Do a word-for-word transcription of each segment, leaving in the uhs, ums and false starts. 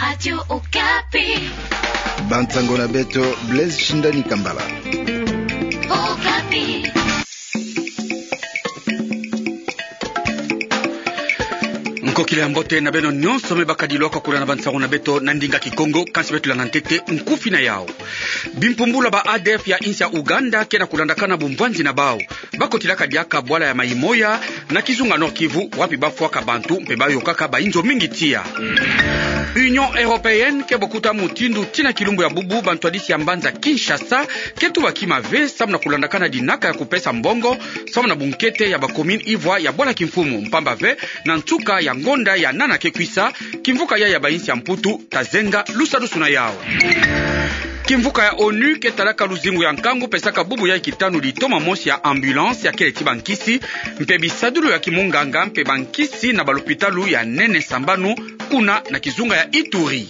Radio Okapi. Bansango na beto, Blaise Shindani Kambala. Okapi. Nkokila ya mbote na beno nyonso me bakadi lwaka kuna na bansango na beto na ndinga Kikongo, kansi beto landa ntete nkufi na yao. Bimpumbulu ya ba A D F ya insi ya Ouganda ke na kulandakana bumvwanzi na bau. Bakotilaka diaka bwala ya Maïmoya na kizunga Nord-Kivu, wapi bafwaka bantu mpe bayokaka bainzo mingi tiya. Union Européenne ke bokuta mutindu tii na kilumbu ya bubu bantwadisi ya mbanza Kinshasa ke tubaki mave samu na kulandakana dinaka ya kupesa mbongo samu na bunkete ya ba commune ivwa ya bwala kimfumu, mpamba ve na nsuka ya ngonda ya nana ke kwisa, kimvuka yayi ya bainsi ya Mputu ta zenga lusadusu na yau. Kimvuka ya onu ke talaka luzingu ya nkangu pesaka bubu yayi kitanu litoma mosi ya ambulance ya kele ti bankisi mpe bisadulu ya kimunganga mpe bankisi na balopitalu ya nene sambanu kuna na kizunga ya Ituri.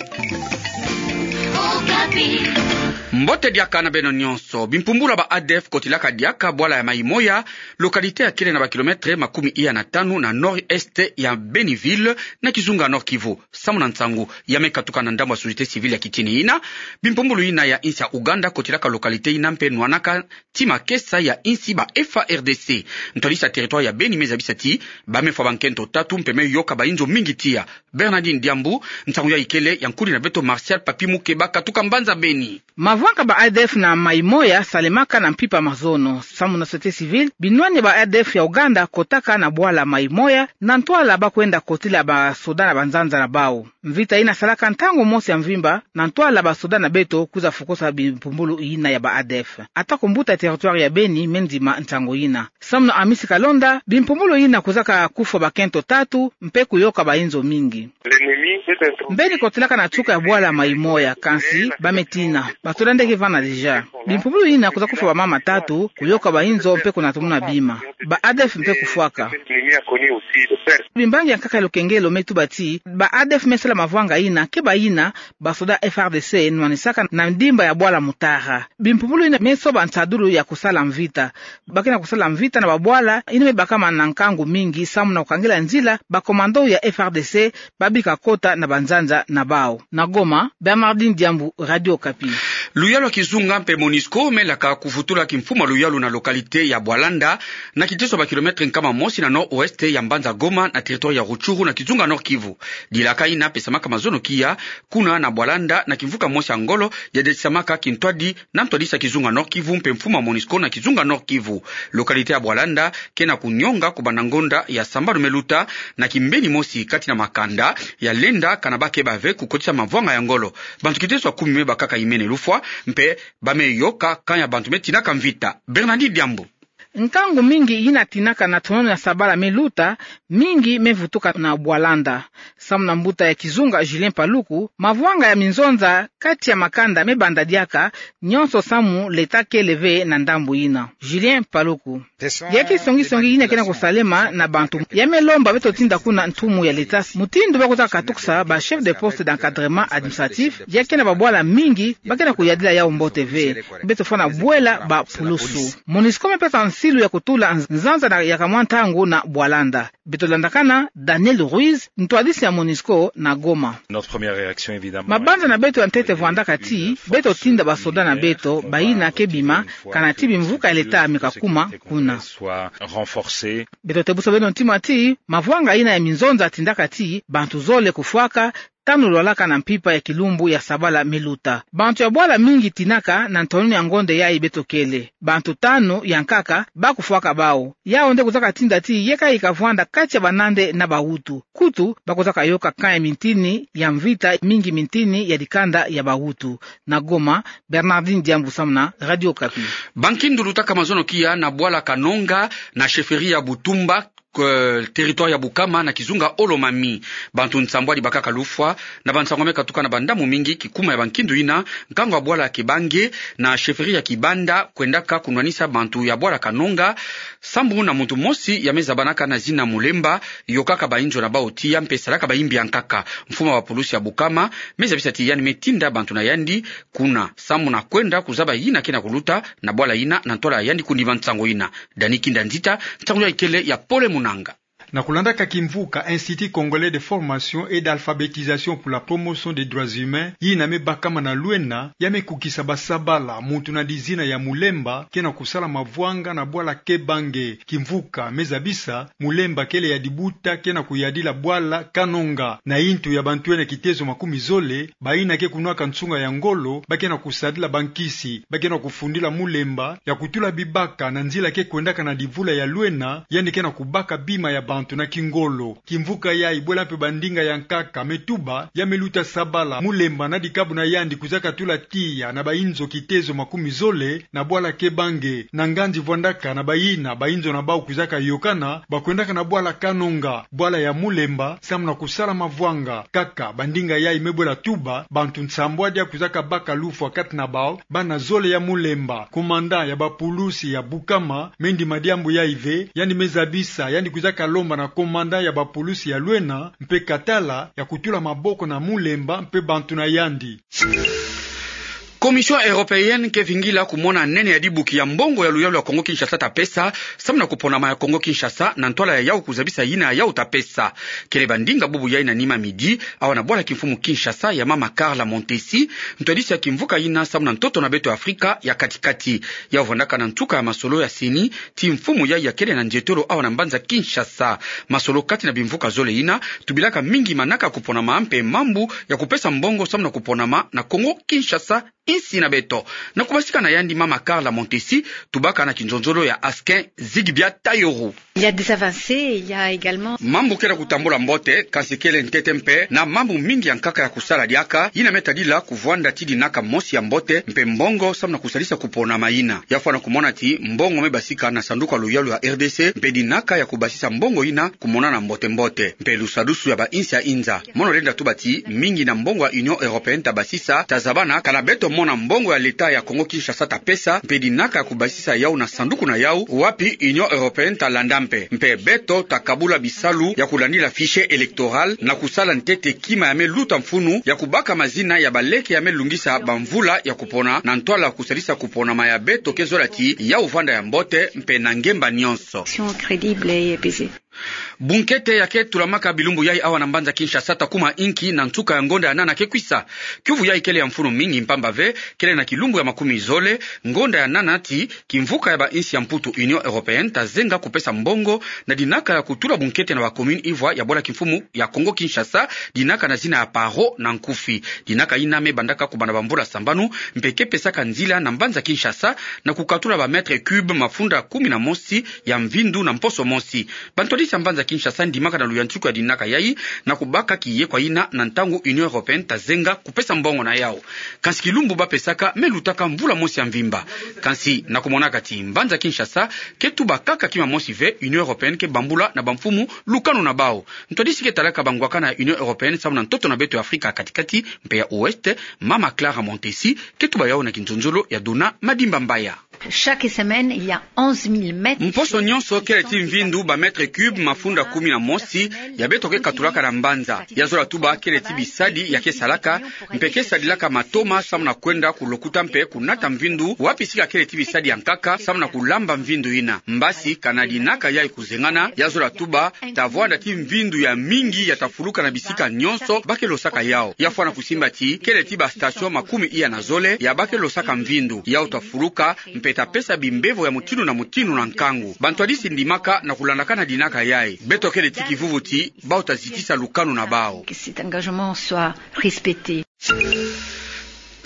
Mbote diaka na beno nyonso. Bimpumbulu ya ba A D F kotilaka diaka bwala ya Maïmoya, localité ya kele na ba kilomètre makumi iya na tanu na nord-est ya Beni-Ville, na kizunga Nord-Kivu. Samu na nsangu ya me katuka na ndambu ya société civile ya kitini ina, bimpumbulu ina ya insi ya Ouganda kotilaka localité ina mpe nwanaka ti makesa ya insi ba F A R D C. Ntwadisi ya territoire ya Beni me zabisa ti ba me fwa bankento tatu mpe me yoka bainzo mingi tiya. Bernardine Diambu, nsangu yayi kele ya nkudi na beto Martial Papi Mukeba katuka mbanza Beni. Mavwanga ba A D F na Maïmoya salemaka na mpimpa mazono. Samu na société civile, binwani ba A D F ya Ouganda kotaka na bwala Maïmoya na ntwala ba kwenda kotila basoda na banzanza na bau. Mvita ina salaka ntangu mosi ya mvimba na ntwala basoda na beto kwiza fokosa bimpumbulu ina ya ba A D F. Ata ku mbuta ya territoire ya Beni me ndima nsangu ina. Samu na Amisi Kalonda, bimpumbulu ina kwizaka kufwa bakento tatu mpe kuyoka bainzo mingi. Mbeni kotilaka na nsuka ya bwala Maïmoya, kansi ba me tina, basoda nde ke vanda déjà. Bimpumbulu ina kwiza kufwa bamama tatu, kuyoka bainzo mpe kunatumuna bima. Ba A D F mpe kufwaka. Bimbangi ya nkaka ya lukengelo me tuba ti ba A D F me sala mavwanga ina ke bayina basoda F A R D C nwanisaka na ndimba ya bwala Mutara. Bimpumbulu ina me soba nsadulu ya kusala mvita. Ba ke na kusala mvita na babwala ina me bakama na nkangu mingi samu na kukangila nzila ba commando ya F A R D C ba bika kota na banzanza na bau. Na Goma, Bernardine Diambu, Radio Okapi. Luyalu ya kizunga mpe Monusco me laka kuvutula kimfumu ya luyalu na localité ya Bwalanda, na kiteso ya ba kilomètre nkama mosi na nord-ouest ya mbanza Goma na territoire ya Rutshuru na kizunga Nord-Kivu. Dilaka ina pesamaka mazono kiya kuna na Bwalanda na kimvuka mosi ya ngolo ya detisamaka kintwadi na ntwadisi ya kizunga Nord-Kivu mpe mfumu ya Monusco na kizunga Nord-Kivu. Localité ya Bwalanda ke na kunyonga kubanda ngonda ya sambanu me luta na kimbeni mosi kati na makanda ya lenda kana ba ke bave kukotisa mavwanga ya ngolo. Bantu kiteso ya kumi me bakaka imene lufwa, mpe ba me yoka kanya bantu me tinaka mvita. Bernardine Diambu. Nkangu mingi ina tinaka na tonono ya sabala me luta, mingi me vutuka na Bwalanda. Samu na mbuta ya kizunga Julien Paluku, mavwanga ya minzonza kati ya makanda me banda diaka, nyonso samu l'État kele ve na ndambu ina. Julien Paluku. Ya ke songi-songi ina ke na kusalema na bantu. Ya me lomba beto tinda kuna ntumu ya l'État mutindu ba kwiza katukisa ba chef de poste d'encadrement administratif, ya ke na babwala mingi ba ke na kuyadila yau mbote ve. Beto fwana bwela ba pulusu. Monusco me pesa nsilu ya kutula nz-, nzanza na ya kamwa ntangu na Bwalanda. Beto landakana Daniel Ruiz, ntwadisi ya Monusco na Goma. Notre première réaction, évidemment, mabanza na beto ya ntete vwandaka ti beto tinda basoda na beto, bayina ke bima, kana ti bimvuka ya l'État me kakuma kuna. Soit renforcée. Beto tebusa beno ntima ti mavwanga ina ya minzonza tindaka ti bantu zole kufwaka, tanu lwalaka na mpimpa ya kilumbu ya sabala me luta. Bantu ya bwala mingi tinaka na ntonono ya ngonda yayi beto kele. Bantu tanu ya nkaka ba kufwaka bau. Yau nde kwizaka tinda ti yeka yika vwanda kati ya banande na bawutu. Kutu, ba kwizaka yoka kanya mintini ya mvita, mingi mintini ya dikanda ya bawutu. Na Goma, Bernardine Diambu samu na Radio Okapi. Bankindu lutaka mazono kiya na bwala Kanonga, na chefferie ya Butumba, eh, territoire ya Bukama na kizunga Haut-Lomami. Bantu nsambwadi bakaka lufwa na bansangu me katuka na bandamu mingi kikuma ya bankindu ina, nkangu ya bwala Kibange na chefferie ya Kibanda kwendaka kunwanisa bantu ya bwala Kanonga, sambu na muntu mosi ya me zabanaka na zina Mulemba, yokaka bainzo na bau tiya mpe salaka bayimbi ya nkaka. Mfumu ya bapulusi ya Bukama me zabisa ti yandi me tinda bantu na yandi kuna, sambu na kwenda kuzaba yina ke na kuluta na bwala ina na ntwala ya yandi kundima nsangu ina. Dani Kinda Nzita, nsangu yayi kele ya Pole Munanga. Na kulandaka kimvuka Institut Congolais de Formation et d'Alphabétisation pour la Promotion des Droits Humains, yina me bakama na Luena, ya me kukisa basabala, muntu na dizina ya Mulemba ke na kusala mavwanga na bwala Kebange. Kimvuka me zabisa, Mulemba kele ya dibuta ke na kuyadila bwala Kanonga. Na intu ya bantu ena kitezo makumi zole, bayina ke kunwaka nsunga ya ngolo, ba ke na kusadila bankisi, ba ke na kufundila Mulemba ya kutula bibaka na nzila ke kwendaka na divula ya Luena, yandi ke na kubaka bima ya bantu na kingolo. Kimvuka yayi bwela mpe bandinga ya nkaka me tuba, ya me luta sabala, Mulemba na dikabu na yandi kwizaka tula tiya na bayinzo kitezo makumi zole, na bwala Kebange, na nganzi vwandaka na bayina, bayinzo na bawu kwizaka yokana, ba kwendaka na bwala Kanonga, bwala ya Mulemba, samu na kusala mavwanga. Kaka, bandinga yayi me bwela tuba, bantu nsambwadi ya kwizaka baka lufwa kati na bawu, bana zole ya Mulemba. Commandant ya bapulusi ya Bukama, me ndima diambu yayi ve, yandi me zabisa, yandi kwizaka lomba na commandant ya bapulusi ya Luena, mpe Katala, ya kutula maboko na Mulemba, mpe bantu na yandi. Commission européenne ke vingila kumona nene ya dibuki ya mbongo ya luyalu ya Kongo Kinshasa ta pesa, samu na kuponama ya Kongo Kinshasa, na ntwala ya yawu kuzabisa yina ya yawu ta pesa. Kele bandinga bubu yayi na nima midi, awa na bwala kimfumu Kinshasa ya mama Carla Montesi, ntwadisi ya kimvuka yina samu na ntoto na beto Afrika ya kati-kati. Yawu vwandaka na nsuka ya masolo ya CENI, ti mfumu yayi ya kele na ndietolo awa na mbanza Kinshasa. Masolo kati na bimvuka zole yina, tubilaka mingi manaka kuponama mpe mambu ya kupesa mbongo samu na kuponama na Kongo Kinshasa, insi na beto. Na kubasika na yandi mama Carla Montesi, tubaka na kinzonzolo ya Askin Zigibia Tayoru. Il y a des avancées, il y a également. Mambu ke na kutambula mbote, kansi kele ntete mpe na mambu mingi ya nkaka ya kusala diaka, yina me tadila kuvwanda ti dinaka mosi ya mbote, mpe mbongo samu na kusalisa kuponama yina. Ya fwana kumona ti mbongo me basika na sanduku ya luyalu ya RDC, mpe dinaka ya kubasisa mbongo yina kumonana mbote-mbote. Mpe lusadusu ya bainsi ya inza. Mono lenda tuba ti, mingi na mbongo ya Union Européenne ta basisa, ta zabana, kana beto mona mbongo ya leta ya Kongo Kinshasa ta pesa, mpe dinaka ya kubasisa yawu na sanduku na yawu, wapi Union Européenne ta landa mpe. Mpe beto ta kabula bisalu ya kulandila fichier électoral, na kusala ntete kima ya me luta mfunu, ya kubaka mazina ya baleke ya me lungisa bamvula ya kupona, na ntwala kusalisa kuponama ya beto ke zola ti, yawu vwanda ya mbote, mpe na ngemba nyonso. Élections crédibles et apaisées. Bunkete ya ke tulamaka bilumbu yayi awa na mbanza Kinshasa ta kuma inki na nsuka ya ngonda ya nana ke kwisa. Kiuvu yayi kele ya mfunu mingi mpamba ve, kele na kilumbu ya makumi zole, ngonda ya nana ti, kimvuka ya bainsi ya Mputu Union Européenne ta zenga kupesa mbongo na dinaka ya kutula bunkete na ba commune ivwa ya bwala kimfumu ya Kongo Kinshasa, dinaka na zina ya Paro na nkufi. Dinaka yina me bandaka kubanda bamvula sambanu, mpe ke pesaka nzila na mbanza Kinshasa na kukatula ba mètres cubes mafunda kumi na mosi ya mvindu na mposo mosi. Bantwadisi ya mbanza Kinshasa ndimaka na luyantiku ya dinaka yayi na kubaka kiyekwa yina na ntangu Union Européenne ta zenga kupesa mbongo na yawu. Kansi kilumbu ba pesaka me lutaka mvula mosi ya mvimba. Kansi na kumonaka ti mbanza Kinshasa ke tuba kaka kima mosi ve, Union Européenne ke bambula na bamfumu lukanu na bawu. Ntwadisi ke talaka bangwakana ya Union Européenne samu na ntoto na beto ya Afrika ya kati-kati mpe ya Ouest, mama Clara Montesi, ke tuba yawu na kinzonzolo ya Dona Madimba Mbaya. Chaque semaine, il y a onze mille mètres. Mposo nyonso kele ti mvindu ba mètres cubes mafunda kumi na mosi ya beto ke katulaka na mbanza. Ya zola tuba kele ti bisadi ya ke salaka, mpe ke sadilaka matoma samu na kwenda ku lokuta mpe kunata mvindu, wapi sika kele ti bisadi ya nkaka samu na kulamba mvindu yina. Mbasi, kana dinaka yayi kuzengana, ya zola tuba, ta vwanda ti mvindu ya mingi ya ta fuluka na bisika nyonso ba ke losaka yawu. Ya fwana kusimba ti, kele ti ba station makumi iya na zole ya ba ke losaka mvindu. Yawu ta fuluka, mpe ta pesa bimbevo ya mutindu na mutindu na nkangu. Bantwadisi ndimaka na kulandakana dinaka yayi. Beto kele ti kivuvu ti, bawu ta zitisa lukanu na bawu. Que cet engagement soit respecté.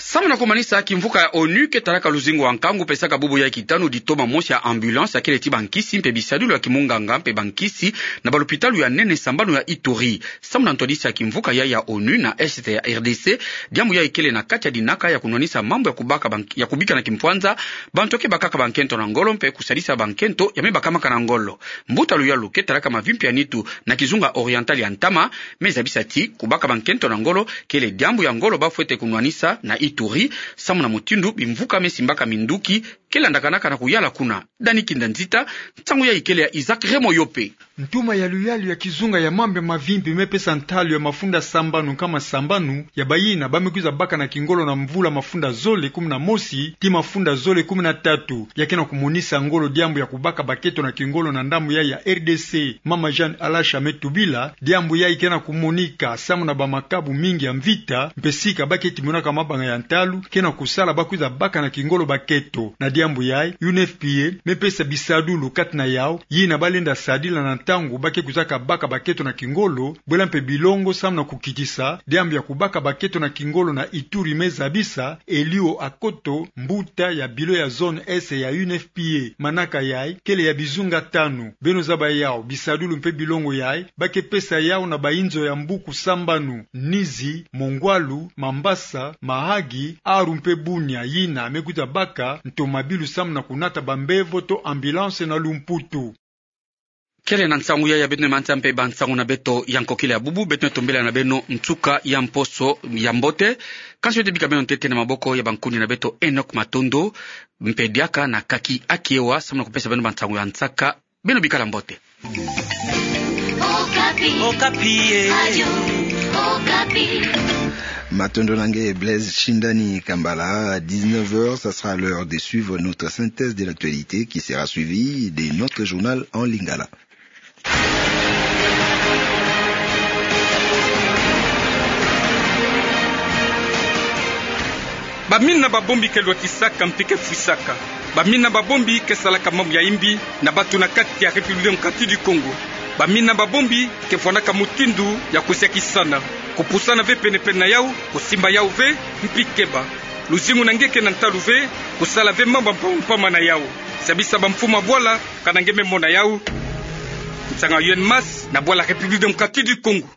Samu na kumanisa, kimvuka ya ONU ke talaka luzingu wa nkangu pesaka bubu yayi kitanu ditoma mosi ya ambulance ya kele ti bankisi mpe bisadilu ya kimunganga mpe bankisi na balopitalu ya nene sambanu ya Ituri. Samu na ntwadisi ya kimvuka yayi ya ONU na Est ya RDC, diambu yayi kele na kati ya dinaka ya kunwanisa mambu ya kubaka bank-, ya kubika na kimpwanza bantu ke bakaka bankento na ngolo mpe kusalisa bankento ya me bakamaka na ngolo. Mbuta luyalu ke talaka mavimpi ya nitu na kizunga oriental ya ntama, me zabisa ti kubaka bankento na ngolo kele diambu ya ngolo ba fwete kunwanisa na Ituri, samu na mutindu bimvuka me simbaka minduki ke landakanaka na kuyala kuna. Dani Kinda Nzita, nsangu yai ikele ya Isaac Raymond Yope. Ntuma ya luyalu ya kizunga ya mambu ya mavimpi me pesa ntalu ya mafunda sambanu nkama sambanu ya bayina ba me kwiza baka na kingolo na mvula mafunda zole kumi na mosi tii mafunda zole kumi na tatu, ya ke na kumonisa ngolo diambu ya kubaka baketo na kingolo na ndambu yai ya R D C. Mama Jeanne Alasha me tubila, diambu yai ke na kumonika samu na bamakabu mingi ya mvita, mpe sika ba ke timonaka mabanga ya ntalu ke na kusala ba kwiza baka na kingolo baketo. Na diambu yai, U N F P A me pesa bisadulu kati na yau yina ba lenda sadila na ntangu ba ke kwizaka baka baketo na kingolo, bwela mpe bilongo samu na kukitisa diambu ya kubaka baketo na kingolo na Ituri me zabisa Elio Akoto, mbuta ya bilo ya zone S ya U N F P A. Manaka yai kele ya bizunga tanu. Beno zaba yau, bisadulu mpe bilongo yai ba ke pesa yau na bayinzo ya mbuku sambanu: Nizi, Mongwalu, Mambasa, Mahagi, Aru mpe Bunia yina me kwiza baka ntomabilu samu na kunata bambevo to ambulance na lumputu. Kele na nsangu yai ya beto nde mantia mpe bansangu na beto ya nkokila ya bubu. Beto nde tombela na beno nsuka ya mposo ya mbote. Kansi beto bika beno ntete na maboko ya bankundi na beto Enoch Matondo mpe diaka na Kaki Akiewa samu na kupesa beno bansangu ya nsaka. Beno bikala mbote. Okapi. Okapi, eh. Radio Okapi. Matondo na nge Blaise Shindani Kambala. À dix-neuf heures, ça sera l'heure de suivre notre synthèse de l'actualité qui sera suivie de notre journal en lingala. Bamina babombi ke lwatisaka mpe ke fwisaka. Bamina babombi ke salaka mambu ya imbi na bato na kati ya République démocratique du Congo. Bamina babombi ke vwanaka mutindu ya kusiakisana, kupusana ve penepene na yau, kusimba yau ve, mpi keba. Luzingu na nge ke na ntalu ve, kusala ve mambu ya mpamba mpamba na yau. Siabisa bamfumu ya bwala, kana nge me mona yau. Nsanga U N M A S na bwala République démocratique du Congo.